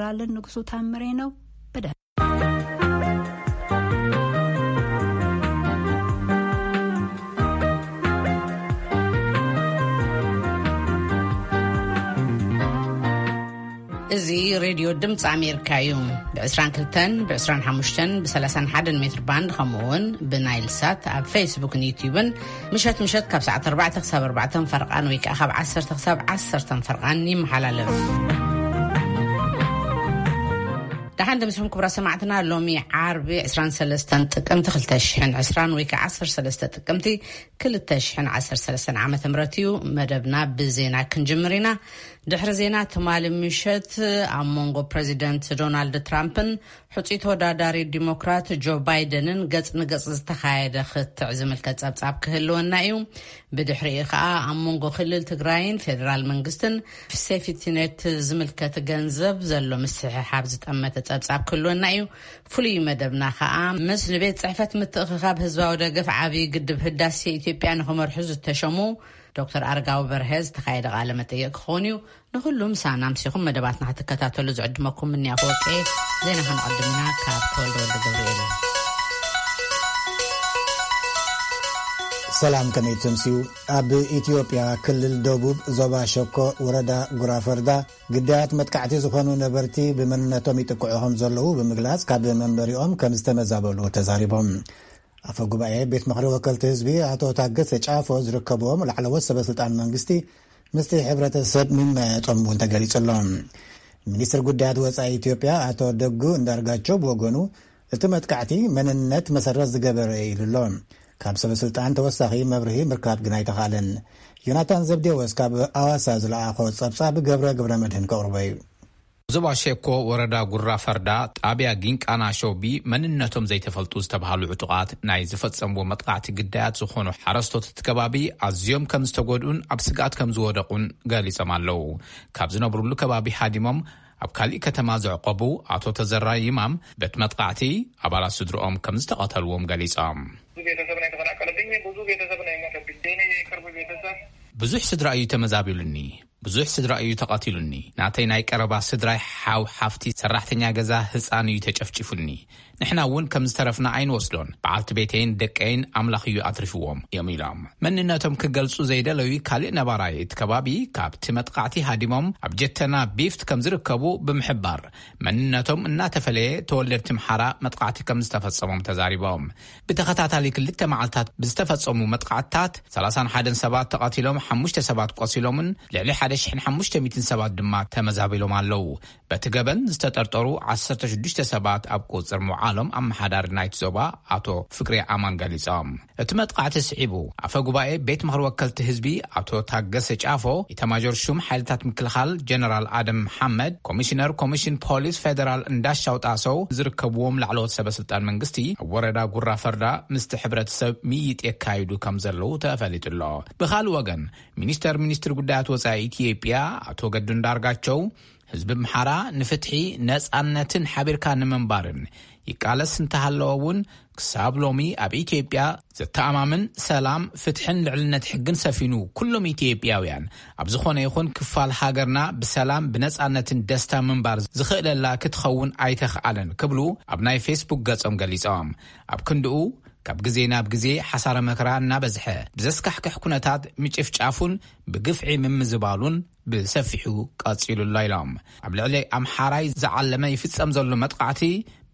ራለን ንጉሱ ታምሬ ነው። ብደ እዚ ሬድዮ ድምፂ ኣሜሪካ እዩ። ብ22፣ ብ25፣ ብ31 ሜትር ባንድ፣ ከምኡ እውን ብናይል ሳት ኣብ ፌስቡክን ዩትዩብን ምሸት ምሸት ካብ ሰዓት ኣርባዕተ ክሳብ ኣርባዕተ ፈርቓን ወይ ከዓ ካብ ዓሰርተ ክሳብ ዓሰርተ ፈርቓን ይመሓላለፍ። ደሓን ደምስኹም ክቡራት ሰማዕትና። ሎሚ ዓርቢ ዕስራን ሰለስተን ጥቅምቲ ክልተ ሽሕን ዕስራን ወይ ከዓ ዓሰርተ ሰለስተ ጥቅምቲ ክልተ ሽሕን ዓሰርተ ሰለስተን ዓመተ ምህረት እዩ። መደብና ብዜና ክንጅምር ኢና። ድሕሪ ዜና ትማሊ ምሸት ኣብ መንጎ ፕሬዚደንት ዶናልድ ትራምፕን ሕጹይ ተወዳዳሪ ዲሞክራት ጆ ባይደንን ገጽ ንገጽ ዝተኻየደ ክትዕ ዝምልከት ጸብጻብ ክህልወና እዩ። ብድሕሪኡ ከኣ ኣብ መንጎ ክልል ትግራይን ፌደራል መንግስትን ሴፍቲኔት ዝምልከት ገንዘብ ዘሎ ምስሕሓብ ዝጠመተ ጸብጻብ ክህልወና እዩ። ፍሉይ መደብና ከኣ ምስ ንቤት ጽሕፈት ምትእኽኻብ ህዝባዊ ደገፍ ዓብዪ ግድብ ህዳሴ ኢትዮጵያ ንኽመርሑ ዝተሸሙ ዶክተር ኣረጋዊ በርሀ ዝተኻየደ ቃለ መጠየቅ ክኸውን እዩ። ንኹሉ ምሳና ኣምሲኹም መደባትና ክትከታተሉ ዝዕድመኩም ምንያ ክወቀ። ዜና ከነቐድምና ካብ ተወልደ ወልደ ገብርኤል። ሰላም፣ ከመይ ትምስዩ? ኣብ ኢትዮጵያ ክልል ደቡብ ዞባ ሸኮ ወረዳ ጉራፈርዳ ግዳያት መጥቃዕቲ ዝኾኑ ነበርቲ ብመንነቶም ይጥቅዑ ከም ዘለዉ ብምግላጽ ካብ መንበሪኦም ከም ዝተመዛበሉ ተዛሪቦም። ኣፈ ጉባኤ ቤት ምኽሪ ወከልቲ ህዝቢ ኣቶ ታገሰ ጫፎ ዝርከብዎም ላዕለዎት ሰበ ስልጣን መንግስቲ ምስቲ ሕብረተሰብ ምመያየጦም እውን ተገሊጹ ኣሎ። ሚኒስትር ጉዳያት ወጻኢ ኢትዮጵያ ኣቶ ደጉ እንዳርጋቸው ብወገኑ እቲ መጥቃዕቲ መንነት መሰረት ዝገበረ እዩ ኢሉ ኣሎ። ካብ ሰበ ስልጣን ተወሳኺ መብርሂ ምርካብ ግን ኣይተኻእለን። ዮናታን ዘብዴዎስ ካብ ኣዋሳ ዝለኣኾ ጸብጻብ ገብረ ገብረ መድህን ከቕርቦ እዩ። ዞባ ሼኮ ወረዳ ጉራ ፈርዳ ጣብያ ጊንቃና ሾቢ መንነቶም ዘይተፈልጡ ዝተባሃሉ ዕጡቓት ናይ ዝፈጸምዎ መጥቃዕቲ ግዳያት ዝኾኑ ሓረስቶት እቲ ከባቢ ኣዝዮም ከም ዝተጎድኡን ኣብ ስግኣት ከም ዝወደቑን ገሊጾም ኣለዉ። ካብ ዝነብሩሉ ከባቢ ሃዲሞም ኣብ ካሊእ ከተማ ዘዕቆቡ ኣቶ ተዘራ ይማም በቲ መጥቃዕቲ ኣባላት ስድርኦም ከም ዝተቐተልዎም ገሊጾም። ብዙ ቤተሰብ ነው የተፈናቀለብኝ፣ ብዙ ቤተሰብ ነው የሞተብኝ። የኔ የቅርብ ቤተሰብ ብዙሕ ስድራ እዩ ተመዛቢሉኒ፣ ብዙሕ ስድራ እዩ ተቐቲሉኒ። ናተይ ናይ ቀረባ ስድራይ ሓው፣ ሓፍቲ፣ ሰራሕተኛ ገዛ፣ ህፃን እዩ ተጨፍጭፉኒ። ንሕና እውን ከም ዝተረፍና ኣይንወስዶን። በዓልቲ ቤተይን ደቀይን ኣምላኽ እዩ ኣትሪፍዎም እዮም ኢሎም። መንነቶም ክገልጹ ዘይደለዩ ካልእ ነባራይ እቲ ከባቢ ካብቲ መጥቃዕቲ ሃዲሞም ኣብ ጀተና ቢፍት ከም ዝርከቡ ብምሕባር መንነቶም እናተፈለየ ተወለድቲ ምሓራ መጥቃዕቲ ከም ዝተፈጸሞም ተዛሪቦም። ብተኸታታሊ ክልተ መዓልታት ብዝተፈጸሙ መጥቃዕትታት ሰላሳን ሓደን ሰባት ተቐቲሎም፣ ሓሙሽተ ሰባት ቆሲሎምን ልዕሊ ሓደ ሽሕን ሓሙሽተ ሚእትን ሰባት ድማ ተመዛቢሎም ኣለዉ። በቲ ገበን ዝተጠርጠሩ ዓሰርተ ሽዱሽተ ሰባት ኣብ ቁጽር ምውዓሎም ኣመሓዳሪ ናይቲ ዞባ ኣቶ ፍቅሬ ኣማን ገሊጾም። እቲ መጥቃዕቲ ስዒቡ ኣፈ ጉባኤ ቤት ምኽሪ ወከልቲ ህዝቢ ኣቶ ታገሰ ጫፎ፣ ኢታማዦር ሹም ሓይልታት ምክልኻል ጀነራል ኣደም መሓመድ፣ ኮሚሽነር ኮሚሽን ፖሊስ ፌደራል እንዳሻው ጣሰው ዝርከብዎም ላዕለዎት ሰበ ስልጣን መንግስቲ ኣብ ወረዳ ጉራ ፈርዳ ምስቲ ሕብረተሰብ ምይይጥ የካይዱ ከም ዘለዉ ተፈሊጡ ኣሎ። ብኻልእ ወገን ሚኒስተር ሚኒስትሪ ጉዳያት ወጻኢ ኢትዮጵያ ኣቶ ገዱ እንዳርጋቸው ህዝቢ ኣምሓራ ንፍትሒ፣ ነጻነትን ሓቢርካ ንምንባርን ይቃለስ እንተሃለወ እውን ክሳብ ሎሚ ኣብ ኢትዮጵያ ዘተኣማምን ሰላም፣ ፍትሕን ልዕልነት ሕግን ሰፊኑ ኩሎም ኢትዮጵያውያን ኣብ ዝኾነ ይኹን ክፋል ሃገርና ብሰላም ብነጻነትን ደስታ ምንባር ዝኽእለላ ክትኸውን ኣይተኽኣለን ክብሉ ኣብ ናይ ፌስቡክ ገጾም ገሊጾም። ኣብ ክንድኡ ካብ ግዜ ናብ ግዜ ሓሳረ መከራ እናበዝሐ ብዘስካሕክሕ ኩነታት ምጭፍጫፉን ብግፍዒ ምምዝባሉን ብሰፊሑ ቀጺሉ ኣሎ ኢሎም። ኣብ ልዕሊ ኣምሓራይ ዝዓለመ ይፍጸም ዘሎ መጥቃዕቲ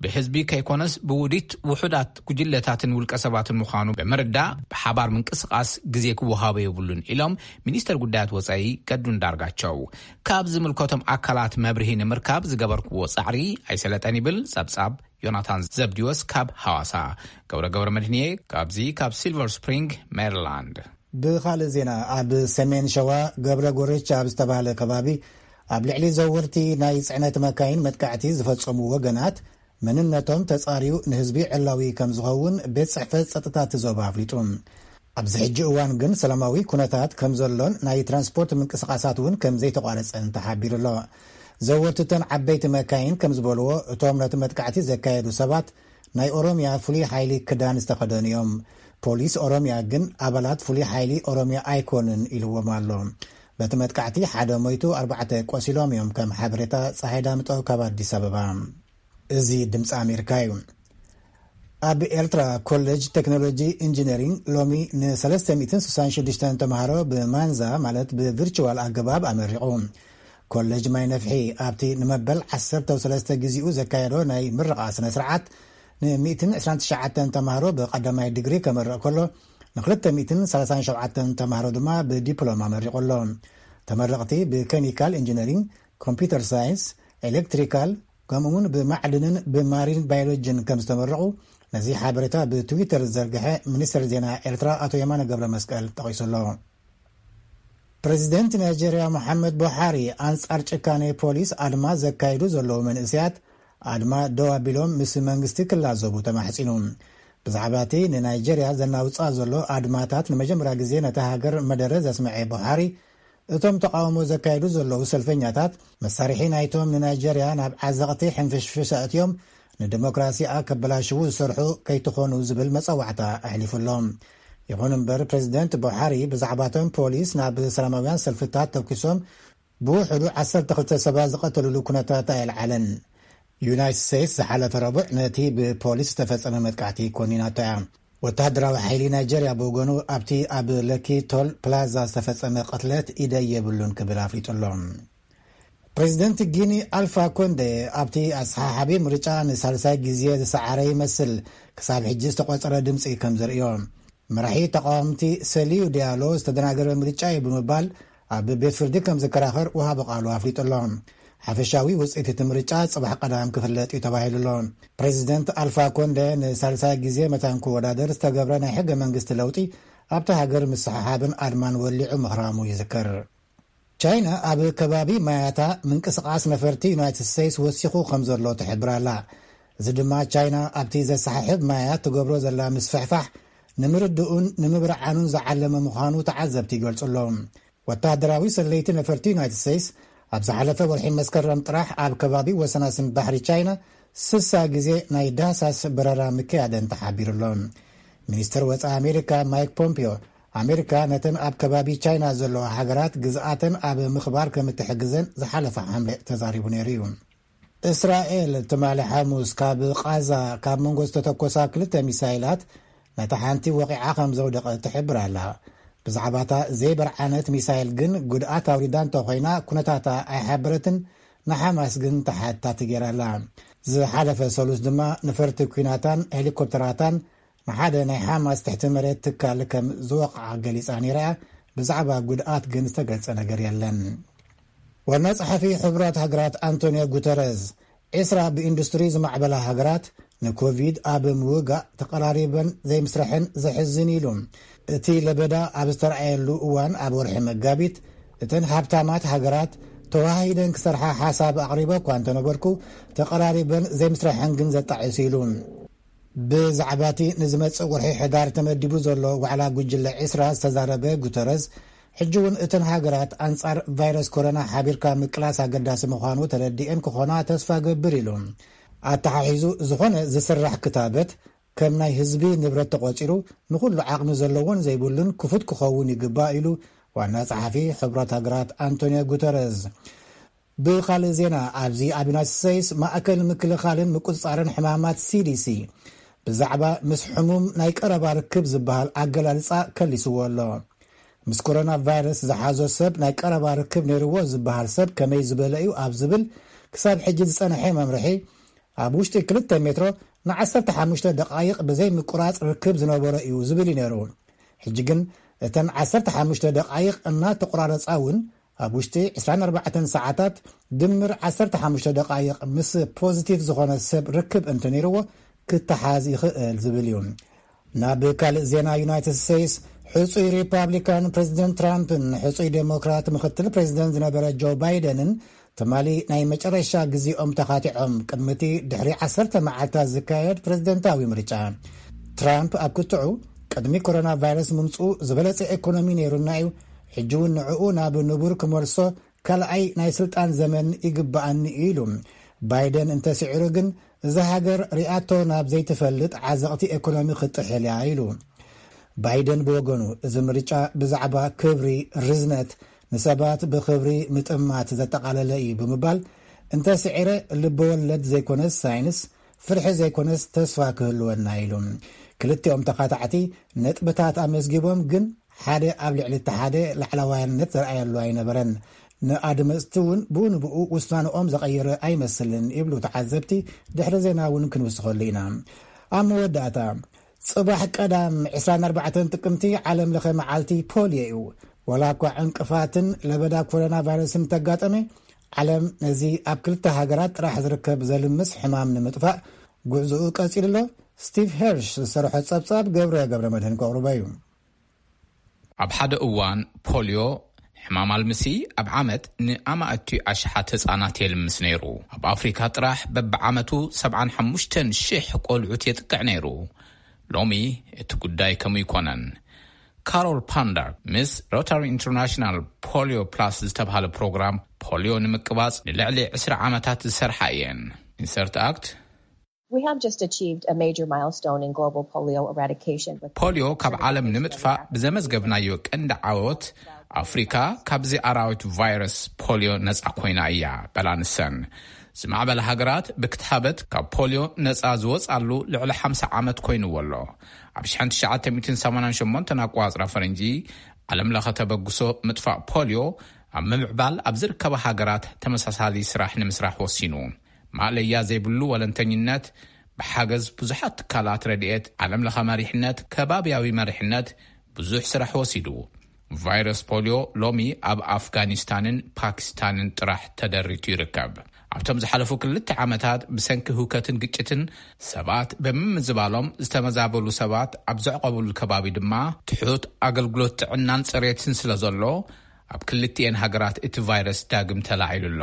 ብህዝቢ ከይኮነስ ብውዲት ውሑዳት ጉጅለታትን ውልቀ ሰባትን ምዃኑ ብምርዳእ ብሓባር ምንቅስቓስ ግዜ ክወሃቦ የብሉን ኢሎም ሚኒስተር ጉዳያት ወጻኢ ገዱ እንዳርጋቸው። ካብ ዝምልከቶም ኣካላት መብርሂ ንምርካብ ዝገበርክዎ ጻዕሪ ኣይሰለጠን ይብል ጸብጻብ ዮናታን ዘብዲዎስ ካብ ሃዋሳ። ገብረ ገብረ መድህንየ ካብዚ ካብ ሲልቨር ስፕሪንግ ሜሪላንድ። ብኻልእ ዜና፣ ኣብ ሰሜን ሸዋ ገብረ ጎረቻ ኣብ ዝተባህለ ከባቢ ኣብ ልዕሊ ዘወርቲ ናይ ጽዕነት መካይን መጥቃዕቲ ዝፈጸሙ ወገናት መንነቶም ተጻርዩ ንህዝቢ ዕላዊ ከም ዝኸውን ቤት ጽሕፈት ጸጥታ እቲ ዞባ ኣፍሊጡ። ኣብዚ ሕጂ እዋን ግን ሰላማዊ ኩነታት ከም ዘሎን ናይ ትራንስፖርት ምንቅስቓሳት እውን ከም ዘይተቋረጸን ተሓቢሩ ኣሎ። ዘወርትተን ዓበይቲ መካይን ከም ዝበልዎ፣ እቶም ነቲ መጥቃዕቲ ዘካየዱ ሰባት ናይ ኦሮምያ ፍሉይ ሓይሊ ክዳን ዝተኸደኑ እዮም። ፖሊስ ኦሮምያ ግን ኣባላት ፍሉይ ሓይሊ ኦሮምያ ኣይኮኑን ኢልዎም ኣሎ። በቲ መጥቃዕቲ ሓደ ሞይቱ፣ ኣርባዕተ ቆሲሎም እዮም። ከም ሓበሬታ ጸሃይ ዳምጠው ካብ ኣዲስ ኣበባ። እዚ ድምፂ ኣሜሪካ እዩ። ኣብ ኤርትራ ኮሌጅ ቴክኖሎጂ ኢንጂነሪንግ ሎሚ ን366 ተምሃሮ ብማንዛ፣ ማለት ብቪርቹዋል ኣገባብ ኣመሪቑ። ኮሌጅ ማይ ነፍሒ ኣብቲ ንመበል ዓሰርተ ሰለስተ ግዜኡ ዘካየዶ ናይ ምርቓ ስነ ስርዓት ን129 ተምሃሮ ብቐዳማይ ዲግሪ ከመርቕ ከሎ፣ ን237 ተምሃሮ ድማ ብዲፕሎማ ኣመሪቑ ኣሎ። ተመረቕቲ ብኬሚካል ኢንጂነሪንግ፣ ኮምፒውተር ሳይንስ፣ ኤሌክትሪካል፣ ከምኡ እውን ብማዕድንን ብማሪን ባዮሎጂን ከም ዝተመረቑ ነዚ ሓበሬታ ብትዊተር ዝዘርግሐ ሚኒስትር ዜና ኤርትራ ኣቶ የማነ ገብረ መስቀል ጠቒሱ ኣሎ። ፕሬዚደንት ናይጀርያ መሓመድ ቡሓሪ ኣንጻር ጭካኔ ፖሊስ ኣድማ ዘካይዱ ዘለዉ መንእስያት ኣድማ ደው ኣቢሎም ምስ መንግስቲ ክላዘቡ ተማሕጺኑ። ብዛዕባ እቲ ንናይጀርያ ዘናውጻ ዘሎ ኣድማታት ንመጀመርያ ግዜ ነታ ሃገር መደረ ዘስምዐ ቡሓሪ፣ እቶም ተቓውሞ ዘካይዱ ዘለዉ ሰልፈኛታት መሳርሒ ናይቶም ንናይጀርያ ናብ ዓዘቕቲ ሕንፍሽፍሽ ኣእትዮም ንዲሞክራሲኣ ከበላሽዉ ዝሰርሑ ከይትኾኑ ዝብል መጸዋዕታ ኣሕሊፉ ኣሎ። ይኹን እምበር ፕሬዚደንት ቡሓሪ ብዛዕባቶም ፖሊስ ናብ ሰላማውያን ሰልፍታት ተኩሶም ብውሕዱ ዓሰርተ ክልተ ሰባት ዝቐተልሉ ኩነታት ኣየልዓለን። ዩናይትድ ስቴትስ ዝሓለፈ ረቡዕ ነቲ ብፖሊስ ዝተፈጸመ መጥቃዕቲ ኮኒናቶ እያ። ወተሃደራዊ ሓይሊ ናይጀርያ ብወገኑ ኣብቲ ኣብ ለኪ ቶል ፕላዛ ዝተፈጸመ ቅትለት ኢደይ የብሉን ክብል ኣፍሊጡ ኣሎ። ፕሬዚደንት ጊኒ ኣልፋ ኮንደ ኣብቲ ኣሰሓሓቢ ምርጫ ንሳልሳይ ግዜ ዝሰዓረ ይመስል፣ ክሳብ ሕጂ ዝተቖጸረ ድምፂ ከም ዘርእዮ። መራሒ ተቃወምቲ ሰሊዩ ዲያሎ ዝተደናገረ ምርጫ እዩ ብምባል ኣብ ቤት ፍርዲ ከም ዝከራኸር ወሃቢ ቃሉ ኣፍሊጡ ኣሎ። ሓፈሻዊ ውፅኢት እቲ ምርጫ ጽባሕ ቀዳም ክፍለጥ እዩ ተባሂሉ ኣሎ። ፕሬዚደንት ኣልፋ ኮንደ ንሳልሳይ ግዜ መታን ክወዳደር ዝተገብረ ናይ ሕገ መንግስቲ ለውጢ ኣብቲ ሃገር ምስሕሓብን ኣድማን ወሊዑ ምኽራሙ ይዝከር። ቻይና ኣብ ከባቢ ማያታ ምንቅስቓስ ነፈርቲ ዩናይትድ ስቴትስ ወሲኹ ከም ዘሎ ትሕብር ኣላ። እዚ ድማ ቻይና ኣብቲ ዘሰሓሕብ ማያት ትገብሮ ዘላ ምስፍሕፋሕ ንምርድኡን ንምብርዓኑን ዝዓለመ ምዃኑ ተዓዘብቲ ይገልጹ ኣለዉ። ወተሃደራዊ ሰለይቲ ነፈርቲ ዩናይትድ ስቴትስ ኣብ ዝሓለፈ ወርሒ መስከረም ጥራሕ ኣብ ከባቢ ወሰናስን ባሕሪ ቻይና ስሳ ግዜ ናይ ዳህሳስ በረራ ምክያደን ተሓቢሩ ኣሎ። ሚኒስትር ወጻኢ ኣሜሪካ ማይክ ፖምፒዮ፣ ኣሜሪካ ነተን ኣብ ከባቢ ቻይና ዘለዋ ሃገራት ግዝኣተን ኣብ ምኽባር ከም እትሕግዘን ዝሓለፈ ሓምለ ተዛሪቡ ነይሩ እዩ። እስራኤል ትማሊ ሓሙስ ካብ ቓዛ ካብ መንጎ ዝተተኮሳ ክልተ ሚሳይላት ነታ ሓንቲ ወቒዓ ከም ዘውደቐት ትሕብር ኣላ። ብዛዕባታ ዘይበርዓነት ሚሳይል ግን ጉድኣት ኣውሪዳ እንተኾይና ኩነታታ ኣይሓበረትን፣ ንሓማስ ግን ተሓታቲ ገይራ ኣላ። ዝሓለፈ ሰሉስ ድማ ነፈርቲ ኲናታን ሄሊኮፕተራታን ንሓደ ናይ ሓማስ ትሕቲ መሬት ትካል ከም ዝወቕዓ ገሊጻ ነይራ እያ። ብዛዕባ ጉድኣት ግን ዝተገልጸ ነገር የለን። ዋና ጸሓፊ ሕቡራት ሃገራት ኣንቶኒዮ ጉተረዝ፣ ዒስራ ብኢንዱስትሪ ዝማዕበላ ሃገራት ንኮቪድ ኣብ ምውጋእ ተቐራሪበን ዘይምስረሐን ዘሕዝን ኢሉ። እቲ ለበዳ ኣብ ዝተረኣየሉ እዋን ኣብ ወርሒ መጋቢት፣ እተን ሃብታማት ሃገራት ተዋሃሂደን ክሰርሓ ሓሳብ ኣቕሪበ እኳ እንተነበርኩ፣ ተቐራሪበን ዘይምስረሐን ግን ዘጣዕስ ኢሉ። ብዛዕባ እቲ ንዝመጽእ ወርሒ ሕዳር ተመዲቡ ዘሎ ዋዕላ ጉጅለ ዒስራ ዝተዛረበ ጉተረዝ፣ ሕጂ እውን እተን ሃገራት ኣንጻር ቫይረስ ኮሮና ሓቢርካ ምቅላስ ኣገዳሲ ምዃኑ ተረዲኤን ክኾና ተስፋ ገብር ኢሉ። ኣተሓሒዙ፣ ዝኾነ ዝስራሕ ክታበት ከም ናይ ህዝቢ ንብረት ተቖጺሩ ንኹሉ ዓቕሚ ዘለዎን ዘይብሉን ክፉት ክኸውን ይግባእ ኢሉ ዋና ጸሓፊ ሕቡራት ሃገራት ኣንቶኒዮ ጉተረዝ። ብኻልእ ዜና፣ ኣብዚ ኣብ ዩናይትድ ስቴትስ ማእከል ምክልኻልን ምቁጽጻርን ሕማማት ሲ ዲ ሲ ብዛዕባ ምስ ሕሙም ናይ ቀረባ ርክብ ዝበሃል ኣገላልጻ ከሊስዎ ኣሎ። ምስ ኮሮና ቫይረስ ዝሓዞ ሰብ ናይ ቀረባ ርክብ ነይርዎ ዝበሃል ሰብ ከመይ ዝበለ እዩ ኣብ ዝብል ክሳብ ሕጂ ዝጸንሐ መምርሒ፣ ኣብ ውሽጢ ክልተ ሜትሮ ንዓሰርተ ሓሙሽተ ደቓይቕ ብዘይ ምቁራጽ ርክብ ዝነበሮ እዩ ዝብል እዩ ነይሩ። ሕጂ ግን እተን ዓሰርተ ሓሙሽተ ደቓይቕ እናተቆራረጻ እውን ኣብ ውሽጢ ዕስራን ኣርባዕተን ሰዓታት ድምር ዓሰርተ ሓሙሽተ ደቓይቕ ምስ ፖዚቲቭ ዝኾነ ሰብ ርክብ እንተነይርዎ ክተሓዝ ይኽእል ዝብል እዩ። ናብ ካልእ ዜና ዩናይትድ ስቴትስ፣ ሕጹይ ሪፓብሊካን ፕሬዚደንት ትራምፕን ሕጹይ ዴሞክራት ምክትል ፕሬዚደንት ዝነበረ ጆ ባይደንን ትማሊ ናይ መጨረሻ ግዜኦም ተኻቲዖም ቅድሚ እቲ ድሕሪ ዓሰርተ መዓልታት ዝካየድ ፕሬዚደንታዊ ምርጫ። ትራምፕ ኣብ ክትዑ ቅድሚ ኮሮና ቫይረስ ምምፅኡ ዝበለጸ ኢኮኖሚ ነይሩና እዩ፣ ሕጂ እውን ንዕኡ ናብ ንቡር ክመልሶ ካልኣይ ናይ ስልጣን ዘመን ይግባኣኒ እዩ ኢሉ። ባይደን እንተስዒሩ ግን እዛ ሃገር ሪኣቶ ናብ ዘይትፈልጥ ዓዘቕቲ ኢኮኖሚ ክትጥሕል እያ ኢሉ። ባይደን ብወገኑ፣ እዚ ምርጫ ብዛዕባ ክብሪ፣ ርዝነት፣ ንሰባት ብኽብሪ ምጥማት ዘጠቓለለ እዩ ብምባል፣ እንተ ስዒረ ልበወለድ ዘይኮነስ ሳይንስ፣ ፍርሒ ዘይኮነስ ተስፋ ክህልወና ኢሉ። ክልቲኦም ተኻታዕቲ ነጥብታት ኣመዝጊቦም፣ ግን ሓደ ኣብ ልዕሊ እቲ ሓደ ላዕለዋይነት ዘርኣየሉ ኣይነበረን። ንኣድመፅቲ እውን ብኡ ንብኡ ውሳንኦም ዘቐየረ ኣይመስልን ይብሉ ተዓዘብቲ። ድሕሪ ዜና እውን ክንውስኸሉ ኢና። ኣብ መወዳእታ፣ ጽባሕ ቀዳም ዕስራን ኣርባዕተን ጥቅምቲ ዓለም ለኸ መዓልቲ ፖልዮ እዩ። ወላ እኳ ዕንቅፋትን ለበዳ ኮሮና ቫይረስን እንተጋጠመ፣ ዓለም ነዚ ኣብ ክልተ ሃገራት ጥራሕ ዝርከብ ዘልምስ ሕማም ንምጥፋእ ጉዕዞኡ ቀጺሉ ኣሎ። ስቲቭ ሄርሽ ዝሰርሖ ጸብጻብ ገብረ ገብረ መድህን ከቕርቦ እዩ። ኣብ ሓደ እዋን ፖልዮ ሕማም ኣልምሲ ኣብ ዓመት ንኣማእቲ ኣሽሓት ህጻናት የልምስ ነይሩ። ኣብ ኣፍሪካ ጥራሕ በብዓመቱ ሰብዓን ሓሙሽተን ሽሕ ቆልዑት የጥቅዕ ነይሩ። ሎሚ እቲ ጉዳይ ከምኡ ይኮነን። ካሮል ፓንዳር ምስ ሮታሪ ኢንተርናሽናል ፖሊዮ ፕላስ ዝተባሃለ ፕሮግራም ፖሊዮ ንምቅባጽ ንልዕሊ ዕስራ ዓመታት ዝሰርሓ እየን። ኢንሰርት ኣክት We have just achieved a major milestone in global polio eradication. With ፖሊዮ ካብ ዓለም ንምጥፋእ ብዘመዝገብናዮ ቀንዲ ዓወት፣ ኣፍሪካ ካብዚ ኣራዊት ቫይረስ ፖሊዮ ነጻ ኮይና እያ በላ ንሰን። ዝማዕበለ ሃገራት ብክትሃበት ካብ ፖሊዮ ነጻ ዝወጻሉ ልዕሊ ሓምሳ ዓመት ኮይንዎ ኣሎ። ኣብ ሸሕን ትሽዓተ ሚእትን ሰማንያን ሸሞንተን ኣቋጽራ ፈረንጂ፣ ዓለም ለኸ ተበግሶ ምጥፋእ ፖሊዮ ኣብ ምምዕባል ኣብ ዝርከባ ሃገራት ተመሳሳሊ ስራሕ ንምስራሕ ወሲኑ። ማእለያ ዘይብሉ ወለንተኝነት፣ ብሓገዝ ብዙሓት ትካላት ረድኤት፣ ዓለም ለኸ መሪሕነት፣ ከባብያዊ መሪሕነት ብዙሕ ስራሕ ወሲዱ። ቫይረስ ፖሊዮ ሎሚ ኣብ ኣፍጋኒስታንን ፓኪስታንን ጥራሕ ተደሪቱ ይርከብ። ኣብቶም ዝሓለፉ ክልተ ዓመታት ብሰንኪ ህውከትን ግጭትን ሰባት ብምምዝባሎም ዝተመዛበሉ ሰባት ኣብ ዘዕቆብሉ ከባቢ ድማ ትሑት ኣገልግሎት ጥዕናን ጽሬትን ስለ ዘሎ፣ ኣብ ክልቲኤን ሃገራት እቲ ቫይረስ ዳግም ተላዒሉ ኣሎ።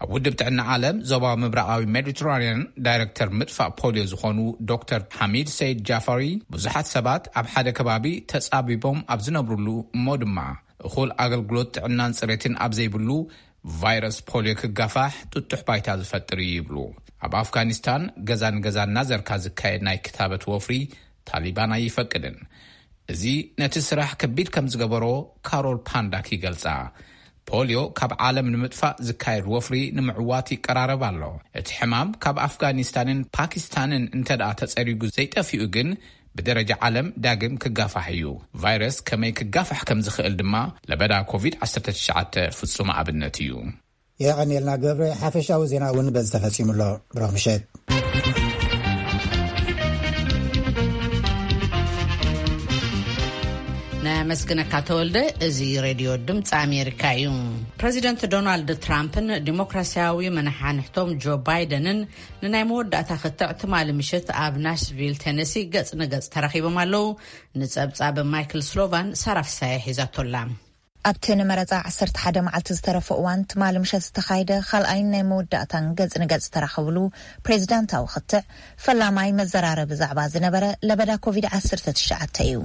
ኣብ ውድብ ጥዕና ዓለም ዞባዊ ምብራቓዊ ሜዲትራንያን ዳይረክተር ምጥፋእ ፖሊዮ ዝኾኑ ዶክተር ሓሚድ ሰይድ ጃፋሪ፣ ብዙሓት ሰባት ኣብ ሓደ ከባቢ ተጻቢቦም ኣብ ዝነብሩሉ እሞ ድማ እኹል ኣገልግሎት ጥዕናን ጽሬትን ኣብ ዘይብሉ ቫይረስ ፖሊዮ ክጋፋሕ ጥጡሕ ባይታ ዝፈጥር እዩ ይብሉ። ኣብ ኣፍጋኒስታን ገዛ ንገዛ እናዘርካ ዝካየድ ናይ ክታበት ወፍሪ ታሊባን ኣይፈቅድን። እዚ ነቲ ስራሕ ከቢድ ከም ዝገበሮ ካሮል ፓንዳክ ይገልጻ። ፖሊዮ ካብ ዓለም ንምጥፋእ ዝካየድ ወፍሪ ንምዕዋት ይቀራረብ ኣሎ። እቲ ሕማም ካብ ኣፍጋኒስታንን ፓኪስታንን እንተ ደኣ ተጸሪጉ ዘይጠፊኡ ግን፣ ብደረጃ ዓለም ዳግም ክጋፋሕ እዩ። ቫይረስ ከመይ ክጋፋሕ ከም ዝኽእል ድማ ለበዳ ኮቪድ ዓሰርተ ትሽዓተ ፍጹም ኣብነት እዩ። የቐንየልና ገብረ። ሓፈሻዊ ዜና እውን በዚ ተፈጺሙ ኣሎ። ብሩኽ ምሸት። ነመስግነካ ተወልደ። እዚ ሬድዮ ድምፂ ኣሜሪካ እዩ። ፕሬዚደንት ዶናልድ ትራምፕን ዲሞክራሲያዊ መናሓንሕቶም ጆ ባይደንን ንናይ መወዳእታ ክትዕ ትማሊ ምሽት ኣብ ናሽቪል ቴነሲ ገጽ ንገጽ ተራኺቦም ኣለዉ። ንጸብጻብ ማይክል ስሎቫን ሳራ ፍሳየ ሒዛቶላ። ኣብቲ ንመረጻ ዓሰርተ ሓደ መዓልቲ ዝተረፈ እዋን ትማሊ ምሸት ዝተኻየደ ካልኣይን ናይ መወዳእታን ገጽ ንገጽ ዝተራኸብሉ ፕሬዚዳንታዊ ክትዕ፣ ፈላማይ መዘራረቢ ዛዕባ ዝነበረ ለበዳ ኮቪድ ዓሰርተ ትሽዓተ እዩ።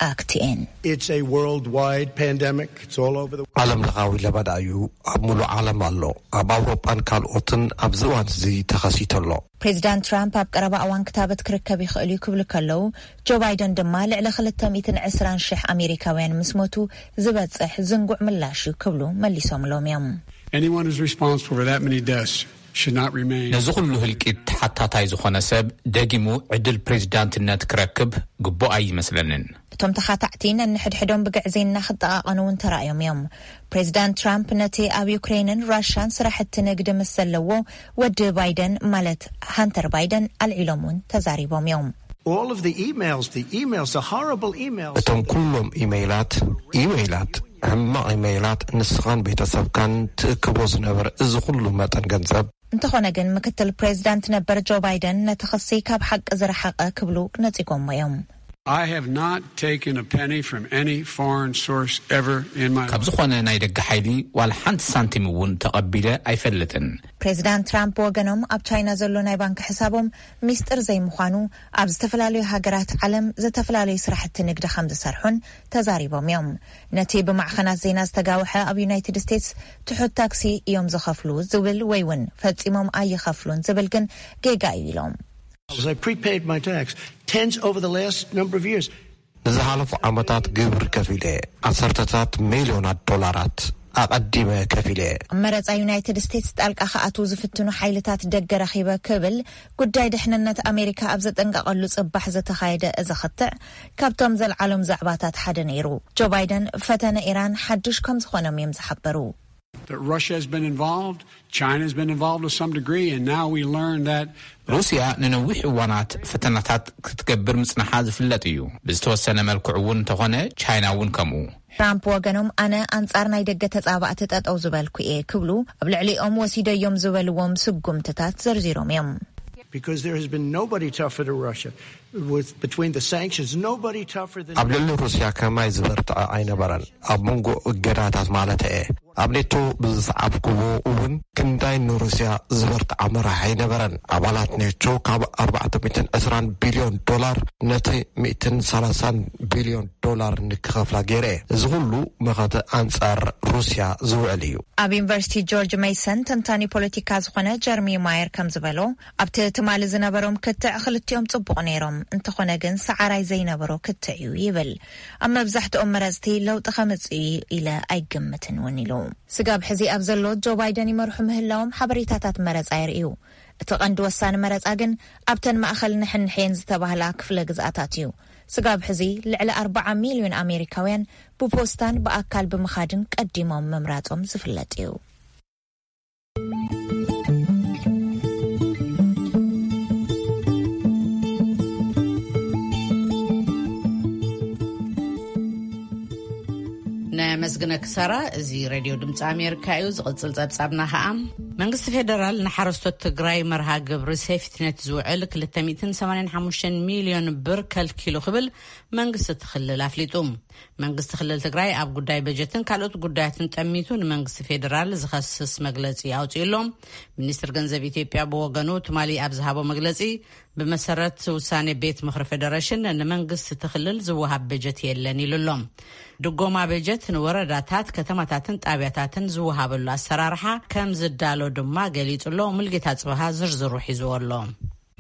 ኣክቲኤን It's a worldwide pandemic. It's all over the ዓለም ለኻዊ ለበዳ እዩ። ኣብ ሙሉእ ዓለም ኣሎ። ኣብ ኣውሮጳን ካልኦትን ኣብዚ እዋን እዚ ተኸሲቱ ኣሎ። ፕሬዚዳንት ትራምፕ ኣብ ቀረባ እዋን ክታበት ክርከብ ይኽእል እዩ ክብሉ ከለዉ፣ ጆ ባይደን ድማ ልዕሊ ክልተ ሚእትን ዕስራን ሽሕ ኣሜሪካውያን ምስ ሞቱ ዝበጽሕ ዝንጉዕ ምላሽ እዩ ክብሉ መሊሶምሎም እዮም። Anyone who's responsible for that many deaths should not remain. ነዚ ኩሉ ህልቂት ተሓታታይ ዝኾነ ሰብ ደጊሙ ዕድል ፕሬዚዳንትነት ክረክብ ግቡእ ኣይመስለንን። እቶም ተኻታዕቲ ነንሕድሕዶም ብግዕዜና ክጠቓቐኑ እውን ተራእዮም እዮም። ፕሬዚዳንት ትራምፕ ነቲ ኣብ ዩክሬንን ራሽያን ስራሕቲ ንግዲ ምስ ዘለዎ ወዲ ባይደን ማለት ሃንተር ባይደን ኣልዒሎም እውን ተዛሪቦም እዮም። All of the emails, the emails, the horrible emails. እቶም ኩሎም ኢመይላት፣ ኢመይላት፣ ሕማቕ ኢመይላት ንስኻን ቤተሰብካን ትእክቦ ዝነበረ እዚ ኩሉ መጠን ገንዘብ። እንተኾነ ግን ምክትል ፕሬዚዳንት ነበር ጆ ባይደን ነቲ ክሲ ካብ ሓቂ ዝረሓቐ ክብሉ ነጺጎሞ እዮም። I have not taken a penny from any foreign source ever in my ካብ ዝኾነ ናይ ደገ ሓይሊ ዋላ ሓንቲ ሳንቲም እውን ተቐቢለ ኣይፈልጥን። ፕሬዚዳንት ትራምፕ ብወገኖም ኣብ ቻይና ዘሎ ናይ ባንክ ሕሳቦም ሚስጥር ዘይምዃኑ፣ ኣብ ዝተፈላለዩ ሃገራት ዓለም ዝተፈላለዩ ስራሕቲ ንግዲ ከም ዝሰርሑን ተዛሪቦም እዮም። ነቲ ብማዕኸናት ዜና ዝተጋውሐ ኣብ ዩናይትድ ስቴትስ ትሑት ታክሲ እዮም ዝኸፍሉ ዝብል ወይ እውን ፈጺሞም ኣይኸፍሉን ዝብል ግን ጌጋ እዩ ኢሎም። I prepaid my tax tens over the last number of years. ንዝሓለፉ ዓመታት ግብሪ ከፊለ ዓሰርተታት ሚልዮናት ዶላራት። ኣቐዲመ ከፊለ እየ። ኣብ መረጻ ዩናይትድ ስቴትስ ጣልቃ ክኣትዉ ዝፍትኑ ሓይልታት ደገ ረኺበ ክብል ጉዳይ ድሕንነት ኣሜሪካ ኣብ ዘጠንቀቐሉ ጽባሕ ዝተኻየደ እዚ ክትዕ፣ ካብቶም ዘልዓሎም ዛዕባታት ሓደ ነይሩ። ጆ ባይደን ፈተነ ኢራን ሓድሽ ከም ዝኾኖም እዮም ዝሓበሩ። That Russia has been involved, China has been involved to some degree, and now we learn that ሩስያ ንነዊሕ እዋናት ፈተናታት ክትገብር ምጽንሓ ዝፍለጥ እዩ። ብዝተወሰነ መልክዑ እውን እንተኾነ፣ ቻይና እውን ከምኡ። ትራምፕ ወገኖም፣ ኣነ ኣንጻር ናይ ደገ ተጻባእቲ ጠጠው ዝበልኩ እየ ክብሉ ኣብ ልዕሊኦም ወሲደዮም ዝበልዎም ስጉምትታት ዘርዚሮም እዮም። Because there has been nobody tougher to Russia with between the sanctions, nobody tougher than ኣብ ልዕሊ ሩስያ ከማይ ዝበርትዐ ኣይነበረን፣ ኣብ መንጎ እገዳታት ማለት እየ። ኣብ ኔቶ ብዝሰዓብክዎ እውን ክንዳይ ንሩስያ ዝበርትዓ መራሕ ኣይነበረን። ኣባላት ኔቶ ካብ ኣርባዕተ ሚእትን ዕስራን ቢልዮን ዶላር ነቲ ሚእትን ሰላሳን ቢልዮን ዶላር ንክኸፍላ ገይረ እየ። እዚ ኩሉ መኸተ ኣንጻር ሩስያ ዝውዕል እዩ። ኣብ ዩኒቨርሲቲ ጆርጅ ሜይሰን ተንታኒ ፖለቲካ ዝኾነ ጀርሚ ማየር ከም ዝበሎ፣ ኣብቲ ትማሊ ዝነበሮም ክትዕ ክልቲኦም ጽቡቕ ነይሮም፣ እንተኾነ ግን ሰዓራይ ዘይነበሮ ክትዕ እዩ ይብል። ኣብ መብዛሕትኦም መረጽቲ ለውጢ ከምጽእ እዩ ኢለ ኣይግምትን እውን ኢሉ። ስጋብ ሕዚ ኣብ ዘሎ ጆ ባይደን ይመርሑ ምህላዎም ሓበሬታታት መረጻ የርእዩ። እቲ ቀንዲ ወሳኒ መረጻ ግን ኣብተን ማእኸል ንሕንሕየን ዝተባህላ ክፍለ ግዝኣታት እዩ። ስጋብ ሕዚ ልዕሊ ኣርባዓ ሚልዮን ኣሜሪካውያን ብፖስታን ብኣካል ብምኻድን ቀዲሞም ምምራጾም ዝፍለጥ እዩ። ነመስግነኪ ሳራ። እዚ ሬድዮ ድምፂ ኣሜሪካ እዩ። ዝቕፅል ፀብፃብና ከዓ፣ መንግስቲ ፌደራል ንሓረስቶት ትግራይ መርሃ ግብሪ ሴፍትኔት ዝውዕል ክልተ ሚእትን ሰማንያን ሓሙሽተን ሚልዮን ብር ከልኪሉ ክብል መንግስቲ እቲ ክልል ኣፍሊጡ። መንግስቲ ክልል ትግራይ ኣብ ጉዳይ በጀትን ካልኦት ጉዳያትን ጠሚቱ ንመንግስቲ ፌደራል ዝኸስስ መግለፂ ኣውፂኡ ኣሎ። ሚኒስትር ገንዘብ ኢትዮጵያ ብወገኑ ትማሊ ኣብ ዝሃቦ መግለፂ፣ ብመሰረት ውሳኔ ቤት ምኽሪ ፌደሬሽን ንመንግስቲ እቲ ክልል ዝወሃብ በጀት የለን ኢሉ ኣሎ። ድጎማ በጀት ንወረዳታት፣ ከተማታትን ጣብያታትን ዝወሃበሉ ኣሰራርሓ ከም ዝዳሎ ድማ ገሊጹ ኣሎ። ሙልጌታ ጽበሃ ዝርዝሩ ሒዝዎ ኣሎ።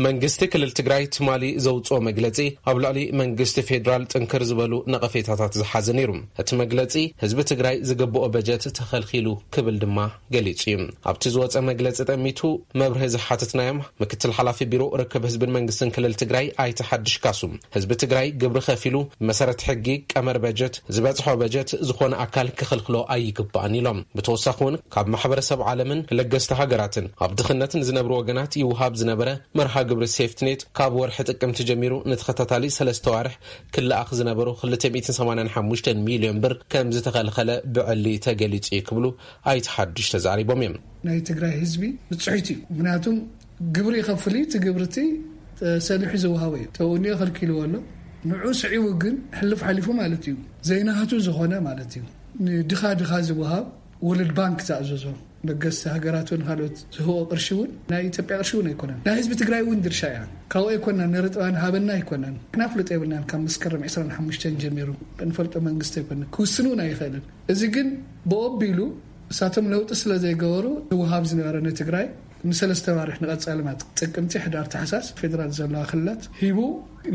መንግስቲ ክልል ትግራይ ትማሊ ዘውፅኦ መግለፂ ኣብ ልዕሊ መንግስቲ ፌዴራል ጥንክር ዝበሉ ነቐፌታታት ዝሓዘ ነይሩ። እቲ መግለፂ ህዝቢ ትግራይ ዝግብኦ በጀት ተኸልኪሉ ክብል ድማ ገሊጹ እዩ። ኣብቲ ዝወፀ መግለፂ ጠሚቱ መብርሂ ዝሓተትናዮም ምክትል ሓላፊ ቢሮ ርክብ ህዝብን መንግስትን ክልል ትግራይ ኣይተ ሓድሽ ካሱ፣ ህዝቢ ትግራይ ግብሪ ከፊሉ ብመሰረት ሕጊ ቀመር በጀት ዝበፅሖ በጀት ዝኾነ ኣካል ክኽልክሎ ኣይግባእን ኢሎም። ብተወሳኺ እውን ካብ ማሕበረሰብ ዓለምን ለገስቲ ሃገራትን ኣብ ድኽነት ንዝነብሩ ወገናት ይውሃብ ዝነበረ መርሃ ግብሪ ሴፍትኔት ካብ ወርሒ ጥቅምቲ ጀሚሩ ንተኸታታሊ ሰለስተ ዋርሕ ክለኣኽ ዝነበሩ ክልተ ሚእትን ሰማንያን ሓሙሽተን ሚልዮን ብር ከም ዝተኸልኸለ ብዕሊ ተገሊጹ እዩ ክብሉ ኣይተ ሓድሽ ተዛሪቦም እዮም። ናይ ትግራይ ህዝቢ ብፅሒት እዩ። ምክንያቱም ግብሪ ይኸፍል እዩ። እቲ ግብሪ እቲ ሰሊሑ ዝወሃቦ እዩ። ተውኒ ከልኪልዎ ኣሎ። ንዑ ስዒቡ ግን ሕልፍ ሓሊፉ ማለት እዩ። ዘይናህቱ ዝኾነ ማለት እዩ። ንድኻ ድኻ ዝወሃብ ወለድ ባንክ ዝኣዘዞ ለገስቲ ሃገራት እውን ካልኦት ዝህቦ ቅርሺ እውን ናይ ኢትዮጵያ ቅርሺ እውን ኣይኮነን። ናይ ህዝቢ ትግራይ እውን ድርሻ እያ። ካብኡ ኣይኮናን፣ ንርጥባን ሃበና ኣይኮናን። ክናፍልጦ የብልናን። ካብ መስከረም ዕስራን ሓሙሽተን ጀሚሩ እንፈልጦ መንግስቲ ኣይኮነን። ክውስን እውን ኣይኽእልን። እዚ ግን ብኦቢሉ እሳቶም ለውጢ ስለ ዘይገበሩ ዝወሃብ ዝነበረ ንትግራይ ንሰለስተ ዋርሕ ንቐጻሊ ማለት ጥቅምቲ፣ ሕዳር፣ ታሕሳስ ፌደራል ዘለዋ ክልላት ሂቡ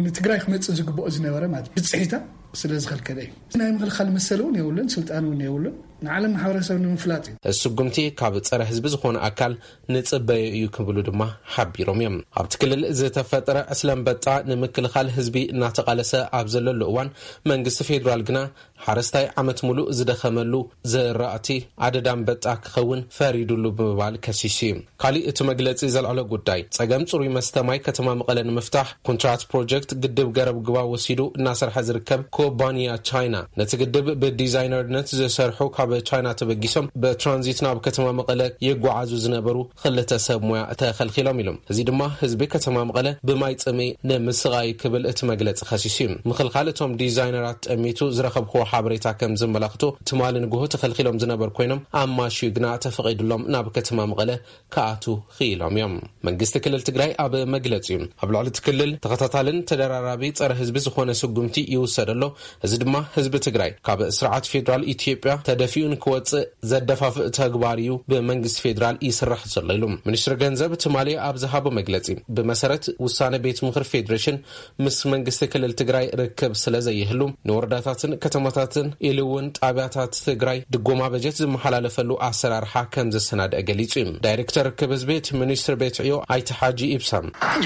ንትግራይ ክመጽእ ዝግብኦ ዝነበረ ማለት ብጽሒታ ስለ ዝኸልከለ እዩ። ናይ ምኽልኻል መሰል እውን የብሉን፣ ስልጣን እውን የብሉን። ንዓለም ማሕበረሰብ ንምፍላጥ እዩ። እዚ ስጉምቲ ካብ ጸረ ህዝቢ ዝኾነ ኣካል ንጽበዮ እዩ ክብሉ ድማ ሓቢሮም እዮም። ኣብቲ ክልል ዝተፈጠረ ዕስለ ኣንበጣ ንምክልኻል ህዝቢ እናተቓለሰ ኣብ ዘለሉ እዋን መንግስቲ ፌዴራል ግና ሓረስታይ ዓመት ሙሉእ ዝደኸመሉ ዘራእቲ ኣደዳ ኣንበጣ ክኸውን ፈሪዱሉ ብምባል ከሲሱ እዩ። ካሊእ እቲ መግለጺ ዘልዐሎ ጉዳይ ጸገም ጽሩይ መስተ ማይ ከተማ መቐለ ንምፍታሕ ኮንትራት ፕሮጀክት ግድብ ገረብ ግባ ወሲዱ እናሰርሐ ዝርከብ ኩባንያ ቻይና ነቲ ግድብ ብዲዛይነርነት ዝሰርሑ ካብ ቻይና ተበጊሶም ብትራንዚት ናብ ከተማ መቐለ ይጓዓዙ ዝነበሩ ክልተ ሰብ ሞያ ተኸልኪሎም ኢሎም። እዚ ድማ ህዝቢ ከተማ መቐለ ብማይ ጽምኢ ንምስቓይ ክብል እቲ መግለጺ ከሲሱ እዩ። ምኽልኻል እቶም ዲዛይነራት ጠሚቱ ዝረኸብክዎ ሓበሬታ ከም ዘመላኽቶ ትማሊ ንግሆ ተኸልኪሎም ዝነበሩ ኮይኖም ኣማሽዩ ግና ተፈቒዱሎም ናብ ከተማ መቐለ ክኣቱ ክኢሎም እዮም። መንግስቲ ክልል ትግራይ ኣብ መግለጺኡ ኣብ ልዕሊ እቲ ክልል ተኸታታልን ተደራራቢ ጸረ ህዝቢ ዝኾነ ስጉምቲ ይውሰድ ኣሎ። እዚ ድማ ህዝቢ ትግራይ ካብ ስርዓት ፌዴራል ኢትዮጵያ ተደፊኡ ንክወጽእ ዘደፋፍእ ተግባር እዩ ብመንግስቲ ፌዴራል ይስራሕ ዘሎ ኢሉ። ሚኒስትሪ ገንዘብ ትማሊ ኣብ ዝሃቦ መግለጺ፣ ብመሰረት ውሳነ ቤት ምኽሪ ፌዴሬሽን ምስ መንግስቲ ክልል ትግራይ ርክብ ስለ ዘይህሉ፣ ንወረዳታትን ከተማታትን ኢሉ እውን ጣብያታት ትግራይ ድጎማ በጀት ዝመሓላለፈሉ ኣሰራርሓ ከም ዘሰናድአ ገሊጹ እዩ። ዳይሬክተር ርክብ ህዝቢ እቲ ሚኒስትር ቤት ዕዮ ኣይተ ሓጂ ኢብሳ፣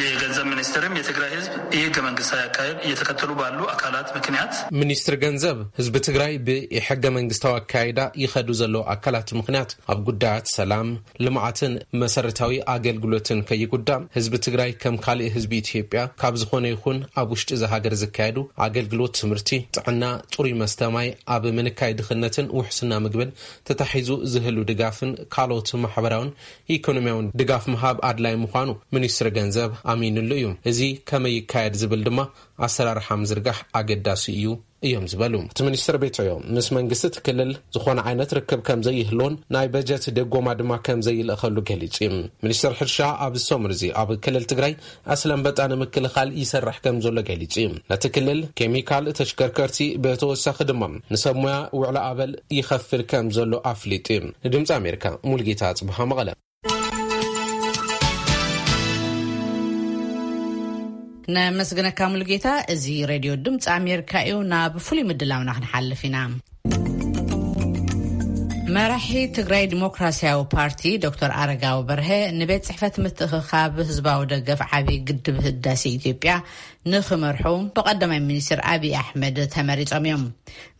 የገንዘብ ሚኒስትርም የትግራይ ህዝብ ይህ ህገ መንግስታዊ አካሄድ እየተከተሉ ባሉ አካላት ምክንያት፣ ሚኒስትር ገንዘብ፣ ህዝቢ ትግራይ ብሕገ መንግስታዊ ኣካይዳ ይኸዱ ዘለዉ ኣካላት ምክንያት ኣብ ጉዳያት ሰላም፣ ልምዓትን መሰረታዊ ኣገልግሎትን ከይጉዳእ፣ ህዝቢ ትግራይ ከም ካልእ ህዝቢ ኢትዮጵያ ካብ ዝኾነ ይኹን ኣብ ውሽጢ እዛ ሃገር ዝካየዱ ኣገልግሎት ትምህርቲ፣ ጥዕና፣ ጽሩይ መስተ ማይ ኣብ ምንካይ ድኽነትን ውሕስና ምግብን ተታሒዙ ዝህሉ ድጋፍን ካልኦት ማሕበራውን ኢኮኖሚያውን ድጋፍ ምሃብ ኣድላይ ምዃኑ ሚኒስትሪ ገንዘብ ኣሚኑሉ እዩ። እዚ ከመይ ይካየድ ዝብል ድማ ኣሰራርሓ ምዝርጋሕ ኣገዳሲ እዩ እዮም ዝበሉ እቲ ሚኒስትር ቤት ዕዮ፣ ምስ መንግስቲ እቲ ክልል ዝኾነ ዓይነት ርክብ ከም ዘይህልዎን ናይ በጀት ደጎማ ድማ ከም ዘይልእኸሉ ገሊጹ እዩ። ሚኒስትር ሕርሻ ኣብዚ ሰሙን እዚ ኣብ ክልል ትግራይ ኣስለ ኣንበጣ ንምክልኻል ይሰርሕ ከም ዘሎ ገሊጹ እዩ። ነቲ ክልል ኬሚካል፣ ተሽከርከርቲ፣ ብተወሳኺ ድማ ንሰብ ሞያ ውዕሎ ኣበል ይኸፍል ከም ዘሎ ኣፍሊጡ እዩ። ንድምፂ ኣሜሪካ ሙልጌታ ጽብሃ መቐለ። ነመስግነካ ሙሉጌታ። እዚ ሬድዮ ድምፂ ኣሜሪካ እዩ። ናብ ፍሉይ ምድላውና ክንሓልፍ ኢና። መራሒ ትግራይ ዲሞክራሲያዊ ፓርቲ ዶክተር ኣረጋዊ በርሀ ንቤት ጽሕፈት ምትእኽኻብ ህዝባዊ ደገፍ ዓብዪ ግድብ ህዳሴ ኢትዮጵያ ንኽመርሑ ብቐዳማይ ሚኒስትር ኣብይ ኣሕመድ ተመሪጾም እዮም።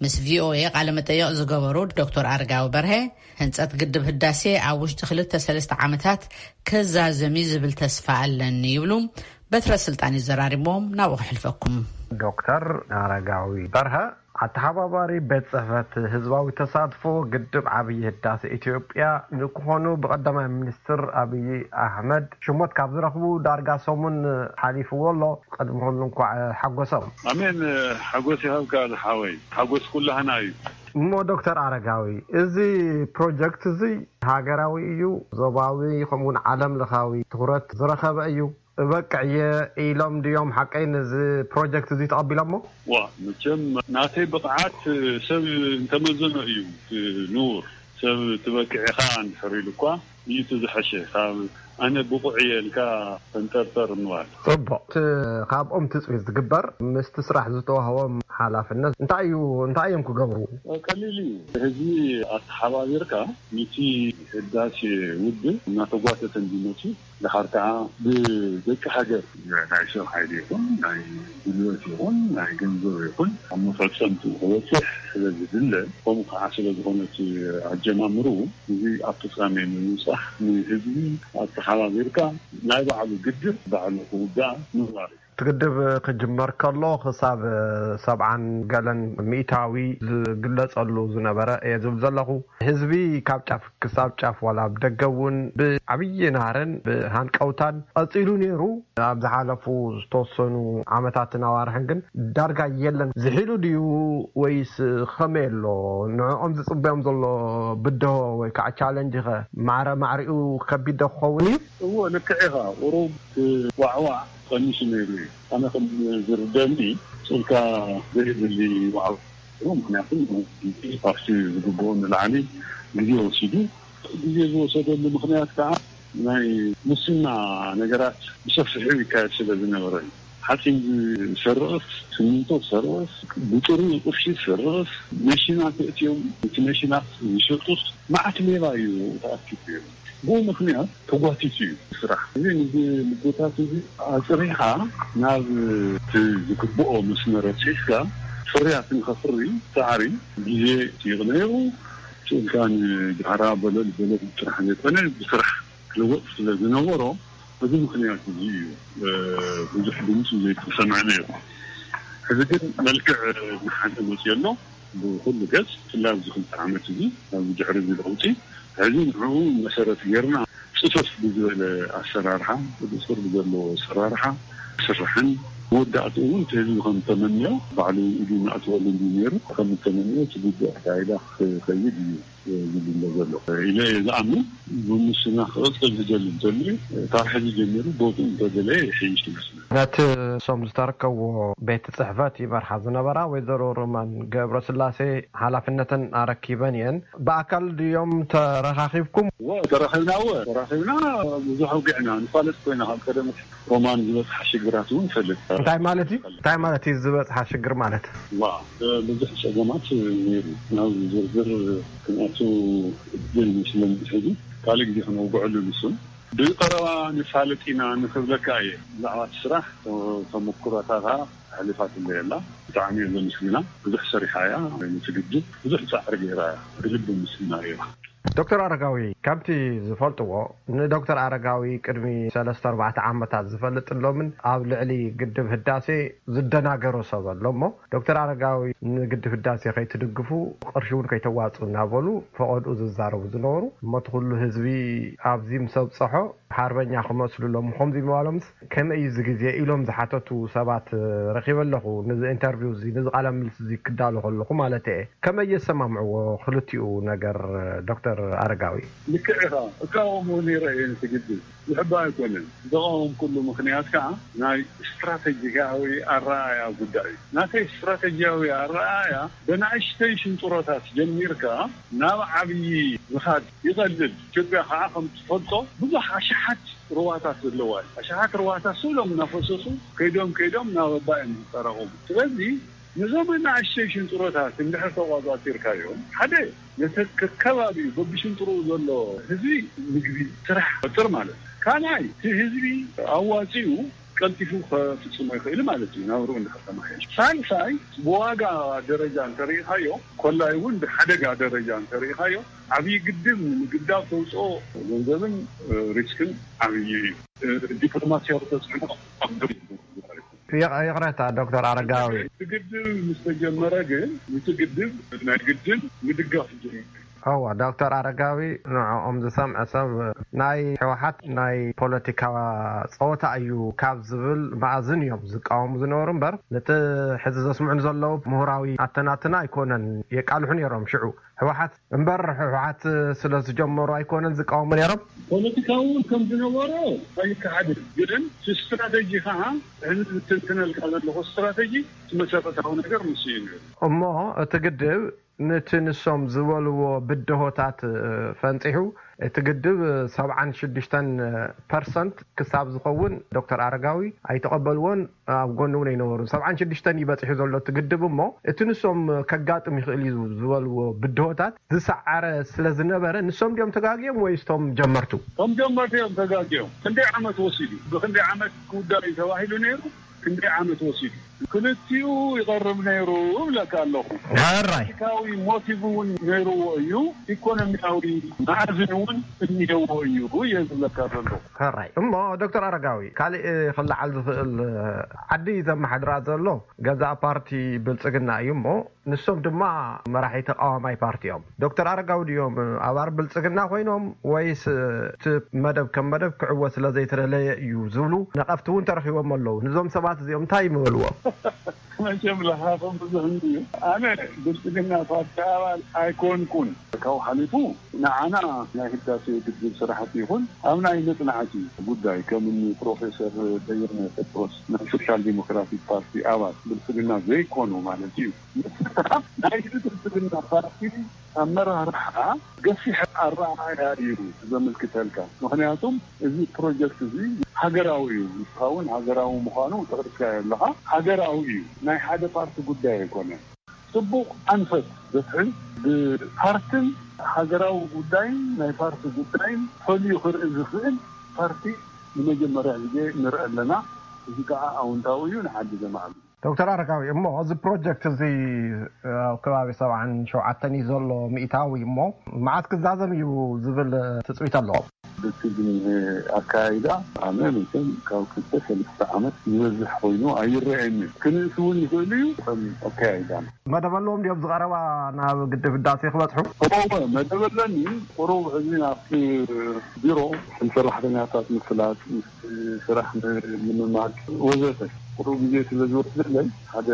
ምስ ቪኦኤ ቃለ መጠይቕ ዝገበሩ ዶክተር ኣረጋዊ በርሀ፣ ህንጸት ግድብ ህዳሴ ኣብ ውሽጢ ክልተ ሰለስተ ዓመታት ከዛዘም እዩ ዝብል ተስፋ ኣለኒ ይብሉ። በትረ ስልጣን ይዘራርቦም፣ ናብኡ ከሕልፈኩም። ዶክተር ኣረጋዊ በርሀ፣ ኣተሓባባሪ ቤት ጽሕፈት ህዝባዊ ተሳትፎ ግድብ ዓብዪ ህዳሴ ኢትዮጵያ ንክኾኑ ብቐዳማይ ሚኒስትር ኣብዪ ኣሕመድ ሽሞት ካብ ዝረኽቡ ዳርጋ ሰሙን ሓሊፍዎ ኣሎ። ቅድሚ ኩሉ እንኳዕ ሓጎሶም። ኣሜን። ሓጎስ ይሃብካ ዝሓወይ፣ ሓጎስ ኩላህና እዩ። እሞ ዶክተር ኣረጋዊ፣ እዚ ፕሮጀክት እዚ ሃገራዊ እዩ፣ ዞባዊ ከምኡውን ዓለም ለኻዊ ትኹረት ዝረኸበ እዩ። እበቅዕ እየ ኢሎም ድዮም ሓቀይ ነዚ ፕሮጀክት እዚ ተቐቢሎሞ? ዋ፣ መቸም ናተይ ብቕዓት ሰብ እንተመዘኖ እዩ እቲ ንቡር። ሰብ ትበቅዕ ኢኻ እንድሕር ኢሉ እኳ እዩ እቲ ዝሐሸ። ካብ ኣነ ብቑዕ እየ ኢልካ ፈንጠርጠር ምባል። ጽቡቕ። እቲ ካብኦም ትጽቢት ዝግበር ምስቲ ስራሕ ዝተዋህቦም ሓላፍነት እንታይ እዩ? እንታይ እዮም ክገብሩ? ቀሊል እዩ። ህዝቢ ኣተሓባቢርካ ነቲ ህዳሴ ውድብ እናተጓተተ እንዲመፅእ፣ ድሓር ከዓ ብደቂ ሃገር ናይ ሰብ ሓይሊ ይኹን ናይ ጉልበት ይኹን ናይ ገንዘብ ይኹን ኣብ መፈፀምትኡ ክበፅሕ ስለ ዝድለ፣ ከምኡ ከዓ ስለ ዝኾነ እቲ ኣጀማምርኡ፣ እዚ ኣብ ፍፃሜ ንምብፃሕ ንህዝቢ ኣተሓባቢርካ ናይ ባዕሉ ግድብ ባዕሉ ክውዳእ ምግባር እዩ። እቲ ግድብ ክጅመር ከሎ ክሳብ ሰብዓን ገለን ሚእታዊ ዝግለጸሉ ዝነበረ እየ ዝብል ዘለኹ። ህዝቢ ካብ ጫፍ ክሳብ ጫፍ ዋላ ኣብ ደገ እውን ብዓብዪ ናህርን ብሃንቀውታን ቀጺሉ ነይሩ። ኣብ ዝሓለፉ ዝተወሰኑ ዓመታትን ኣዋርሕን ግን ዳርጋ የለን። ዝሒሉ ድዩ ወይስ ከመይ ኣሎ? ንዕኦም ዝጽበዮም ዘሎ ብድሆ ወይ ከዓ ቻለንጅ ኸ ማዕረ ማዕሪኡ ከቢድ ዶ ክኸውን እዩ? እዎ፣ ልክዕ ኢኻ። ቁሩብ ዋዕዋዕ ቀኒሱ ነይሩ እዩ። ኣነ ከም ዝርደኒ፣ ጾልካ ዘይብሊ ዋዕዋዕ፣ ምክንያቱ ካብቲ ዝግብኦ ንላዕሊ ግዜ ወሲዱ። ግዜ ዝወሰደሉ ምክንያት ከዓ ናይ ሙስና ነገራት ብሰፊሑ ይካየድ ስለ ዝነበረ እዩ። ሓፂን ዝሰርቕስ፣ ስሚንቶ ዝሰርቕስ፣ ብጥሩ ቅርሺ ዝሰርቕስ፣ መሽናት የእትዮም፣ እቲ መሽናት ዝሸጡስ፣ መዓት ሌባ እዩ ተኣኪቡ ነይሩ። ብኡ ምኽንያት ተጓቲቱ እዩ ስራሕ። እዚ፣ ነዚ ልቦታት እዚ ኣፅሪኻ ናብ እቲ ዝግብኦ መስመር ኣብፂሕካ፣ ፍርያት ንኸፍሪ ፃዕሪ፣ ግዜ ይጥይቕ ነይሩ። ስእልካ ንድሕራ በለል በለል ጥራሕ ዘይኮነ፣ ብስራሕ ክልወጥ ስለ ዝነበሮ፣ በዚ ምኽንያት እዚ እዩ፣ እ፣ ብዙሕ ድምፂ ዘይተሰምዐ ነይሩ። ሕዚ ግን መልክዕ ዝሓዘ መፅኡ ኣሎ። ብኩሉ ገፅ፣ ብፍላይ ኣብዚ ክልተ ዓመት እዚ፣ ኣብዚ ድሕሪ እዚ ለውጢ፣ ሕዚ ንዕኡ መሰረት ጌርና ፅፈፍ ብዝበለ ኣሰራርሓ፣ ብፅር ብዘለዎ ኣሰራርሓ ስራሕን መወዳእትኡ እውን እቲ ህዝቢ ከም ተመንዮ፣ ባዕሉ ኢዱ እናእተወሉ እንዲ ነይሩ፣ ከም ተመንዮ እቲ ግቡእ ኣካይዳ ክኸይድ እዩ። ዝድለ ዘሎ ኢለ እየ ዝኣምን። ብሙስና ክቕፅል ዝደሊ እንተልዩ ካብ ሕዚ ጀሚሩ ቦትኡ እንተደለየ ይሕይሽ ይመስለኒ። ነቲ እሶም ዝተረከብዎ ቤት ጽሕፈት ይመርሓ ዝነበራ ወይዘሮ ሮማን ገብረስላሴ ሓላፍነተን ኣረኪበን እየን። ብኣካል ድዮም ተረኻኺብኩም? እወ፣ ተራኺብና፣ እወ፣ ተራኺብና፣ ብዙሕ ኣውጊዕና፣ ንፋለጥ ኮይና ካብ ቀደም ሮማን ዝበፅሓ ሽግራት እውን ይፈልጥ። እንታይ ማለት እዩ? እንታይ ማለት እዩ ዝበፅሓ ሽግር ማለት? ዋ፣ ብዙሕ ፀገማት ነይሩ። ናብ ዝርዝር ክንኣቱ እድል ስለ ዘይሕዙ ካልእ ግዜ ክነውግዐሉ ንሱን ብቐረባ ንፋለጥ ኢና ንኽብለካ እየ። ብዛዕባ እቲ ስራሕ ተመኩሮታታ ኣሕሊፋትለይ ኣላ። ብጣዕሚ እየ ዘመስግና። ብዙሕ ሰሪሓ እያ። ንትግድል ብዙሕ ፃዕሪ ገይራ እያ። ብልቢ ምስግና እያ። ዶክተር ኣረጋዊ፣ ከምቲ ዝፈልጥዎ ንዶክተር ኣረጋዊ ቅድሚ ሰለስተ ኣርባዕተ ዓመታት ዝፈልጥ ኣሎምን ኣብ ልዕሊ ግድብ ህዳሴ ዝደናገሮ ሰብ ኣሎ እሞ፣ ዶክተር ኣረጋዊ ንግድብ ህዳሴ ከይትድግፉ፣ ቅርሺ እውን ከይተዋፅኡ እናበሉ ፈቐድኡ ዝዛረቡ ዝነበሩ፣ እሞ እቲ ኩሉ ህዝቢ ኣብዚ ምስ ኣብፀሖ ሓርበኛ ክመስሉ ኣለዎም። ከምዚ ምባሎምስ ከመይ እዩ እዚ ግዜ ኢሎም ዝሓተቱ ሰባት ረኺበ ኣለኹ። ንዚ ኢንተርቪው እዚ፣ ንዚ ቃለ ምልልስ እዚ ክዳሎ ከለኹ ማለት እየ። ከመይ የሰማምዕዎ ክልቲኡ ነገር ዶክተር ኣረጋዊ? ልክዕ ኢኻ። እቃወሞ ነይረ እየ ንትግድል። ዝሕባ ኣይኮነን። ዘቐወምኩሉ ምኽንያት ከኣ ናይ ስትራተጂካዊ ኣረኣእያ ጉዳይ እዩ። ናተይ ስትራተጂያዊ ኣረኣእያ ብናእሽተይ ሽንጥሮታት ጀሚርካ ናብ ዓብዪ ምኻድ ይቐልል። ኢትዮጵያ ከኣ ከም ትፈልጦ ብዙሕ ኣሽሓት ሩባታት ዘለዋ እያ። ኣሽሓት ሩባታት ስእሎም እናፈሰሱ ከይዶም ከይዶም ናብ ኣባይ እዮም ዝጠራቐሙ። ስለዚ ነዞም ኣናእሽተይ ሽንጥሮታት እንድሕር ተቋጻጺርካዮም፣ ሓደ ነቲ ከከባቢኡ በብሽንጥርኡ ዘሎ ህዝቢ ምግቢ፣ ስራሕ ይፈጥር ማለት እዩ። ካልኣይ እቲ ህዝቢ ኣዋጺኡ ቀልጢፉ ከፍጽሞ ይኽእል ማለት እዩ፣ ናብርኡ እንድሕር ተማሓየሽ። ሳልሳይ ብዋጋ ደረጃ እንተርኢኻዮ፣ ኮላይ እውን ብሓደጋ ደረጃ እንተርኢኻዮ፣ ዓብዪ ግድብ ንምግዳብ ተውፅኦ ገንዘብን ሪስክን ዓብዪ እዩ። ዲፕሎማሲያዊ ተፅዕኖ ኣብ ይቕ- ይቕረታ ዶክተር ኣረጋዊ። እቲ ግድብ ምስ ተጀመረ ግን፣ እቲ ግድብ ናይ ግድብ ምድጋፍ ጀሚሩ። እዋ፣ ዶክተር ኣረጋዊ፣ ንዕኦም ዝሰምዐ ሰብ ናይ ህወሓት ናይ ፖለቲካ ፀወታ እዩ ካብ ዝብል መኣዝን እዮም ዝቃወሙ ዝነበሩ እምበር፣ ነቲ ሕዚ ዘስምዑን ዘለዉ ምሁራዊ ኣተናትና ኣይኮነን የቃልሑ ነይሮም። ሽዑ ህወሓት እምበር፣ ህወሓት ስለ ዝጀመሩ ኣይኮነን ዝቃወሙ ነይሮም። ፖለቲካዊ እውን ከም ዝነበሮ ኣይከሓድን፣ ግን እቲ ስትራተጂ ከዓ፣ ሕዚ ዝትንትነልካ ዘለኹ ስትራተጂ፣ እቲ መሰረታዊ ነገር ንሱ እዩ ነይሩ። እሞ እቲ ግድብ ነቲ ንሶም ዝበልዎ ብድሆታት ፈንፂሑ፣ እቲ ግድብ ሰብዓን ሽዱሽተን ፐርሰንት ክሳብ ዝኸውን ዶክተር ኣረጋዊ ኣይተቐበልዎን፣ ኣብ ጎኒ እውን ኣይነበሩን። ሰብዓን ሽዱሽተን እዩ በፂሑ ዘሎ እቲ ግድብ እሞ፣ እቲ ንሶም ከጋጥም ይኽእል እዩ ዝበልዎ ብድሆታት ዝሰዓረ ስለ ዝነበረ፣ ንሶም ድዮም ተጋግዮም ወይስ እቶም ጀመርቱ? እቶም ጀመርቲ እዮም ተጋግዮም። ክንደይ ዓመት ወሲዱ? ብክንደይ ዓመት ክውዳእ እዩ ተባሂሉ ነይሩ? ክንደይ ዓመት ወሲዱ? ክልቲኡ ይቐርብ ነይሩ እብለካ ኣለኹ። ሕራይ። ፖለቲካዊ ሞቲቭ እውን ነይርዎ እዩ፣ ኢኮኖሚያዊ መኣዝን እውን እኒሄዎ እዩ እየ ዝብለካ ዘለኹ። ሕራይ። እሞ ዶክተር ኣረጋዊ፣ ካልእ ክለዓል ዝኽእል ዓዲ ዘመሓድራ ዘሎ ገዛእ ፓርቲ ብልጽግና እዩ እሞ፣ ንሶም ድማ መራሒ ተቃዋማይ ፓርቲ እዮም። ዶክተር ኣረጋዊ ድዮም ኣባል ብልጽግና ኮይኖም ወይስ እቲ መደብ ከም መደብ ክዕወት ስለ ዘይተደለየ እዩ ዝብሉ ነቐፍቲ እውን ተረኺቦም ኣለዉ። ንዞም ሰባት እዚኦም እንታይ ይምበልዎም? መቸም ለኻኽም ብዙሕ እንድዩ። ኣነ ብልጽግና ፓርቲ ኣባል ኣይኮንኩን። ካብኡ ሓሊፉ ንዓና ናይ ህዳሴ ግድብ ስራሕቲ ይኹን ኣብ ናይ መጽናዕቲ ጉዳይ ከም እኒ ፕሮፌሰር በየነ ጴጥሮስ ናይ ሶሻል ዲሞክራቲክ ፓርቲ ኣባል ብልጽግና ዘይኮኑ ማለት እዩ። ምስታፍ ናይቲ ብልጽግና ፓርቲ ኣመራርሓ ገፊሕ ኣረኣእያ እዩ ዘመልክተልካ። ምኽንያቱም እዚ ፕሮጀክት እዚ ሃገራዊ እዩ። ንስኻ እውን ሃገራዊ ምዃኑ ተቕርጽካዮ ኣለኻ። ሃገራዊ እዩ። ናይ ሓደ ፓርቲ ጉዳይ ኣይኮነን። ጽቡቕ ኣንፈት ዘትሕዝ፣ ብፓርትን ሃገራዊ ጉዳይን ናይ ፓርቲ ጉዳይን ፈልዩ ክርኢ ዝኽእል ፓርቲ ንመጀመርያ ግዜ ንርኢ ኣለና። እዚ ከዓ ኣውንታዊ እዩ፣ ንዓዲ ዘማዕብል። ዶክተር ኣረጋዊ፣ እሞ እዚ ፕሮጀክት እዚ ኣብ ከባቢ ሰብዓን ሸውዓተን እዩ ዘሎ ሚእታዊ፣ እሞ መዓስ ክዛዘም እዩ ዝብል ትጽቢት ኣለዎም? እቲ ዝኒሀ ኣካያይዳ ኣነ መቸም ካብ ክልተ ሰለስተ ዓመት ዝበዝሕ ኮይኑ ኣይረኣየንን። ክንእስ እውን ይኽእል እዩ። ከም ኣካያይዳ መደብ ኣለዎም ድዮም ዝቐረባ ናብ ግድብ ህዳሴ ክበጽሑ? እወ፣ መደብ ኣለኒ። ቁሩብ ሕዚ ናብቲ ቢሮ ሰራሕተኛታት ምፍላጥ፣ ምስቲ ስራሕ ምልምማድ ወዘተ ቁሩብ ግዜ ስለ ዝወስደለይ፣ ሓደ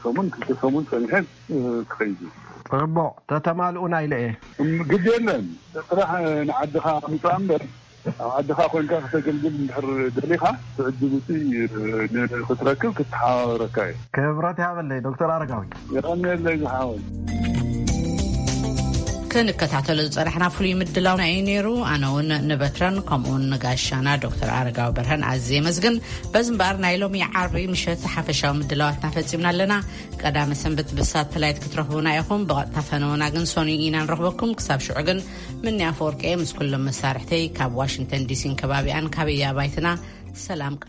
ሰሙን ክልተ ሰሙን ጸኒሐ ክኸይድ እዩ። ጽቡቕ፣ ተተማልኡና ኢለ እየ። እም፣ ግድ የለን። ጥራሕ ንዓድኻ ምጻእ እምበር፣ ኣብ ዓድኻ ኮንካ ከተገልግል እንድሕር ደሊኻ፣ ትዕድል እቲ ን-፣ ክትረክብ ክተሓባበረካ እዩ። ክብረት ያበለይ ዶክተር ኣረጋዊ። የቐንየለይ ዝሓወይ። ክንከታተሎ ዝጸናሕና ፍሉይ ምድላውና እዩ ነይሩ። ኣነ እውን ንበትረን ከምኡውን ንጋሻና ዶክተር ኣረጋዊ በርሀን ኣዝየ የመስግን። በዚ እምበኣር ናይ ሎሚ ዓርቢ ምሸት ሓፈሻዊ ምድላዋትና ፈጺምና ኣለና። ቀዳመ ሰንበት ብሳተላይት ክትረኽቡና ኢኹም። ብቐጥታ ፈነወና ግን ሰኑይ ኢና ንረኽበኩም። ክሳብ ሽዑ ግን ምንያ ኣፈወርቂ እየ ምስ ኩሎም መሳርሕተይ ካብ ዋሽንግተን ዲሲን ከባቢኣን ካብ እያ ባይትና ሰላም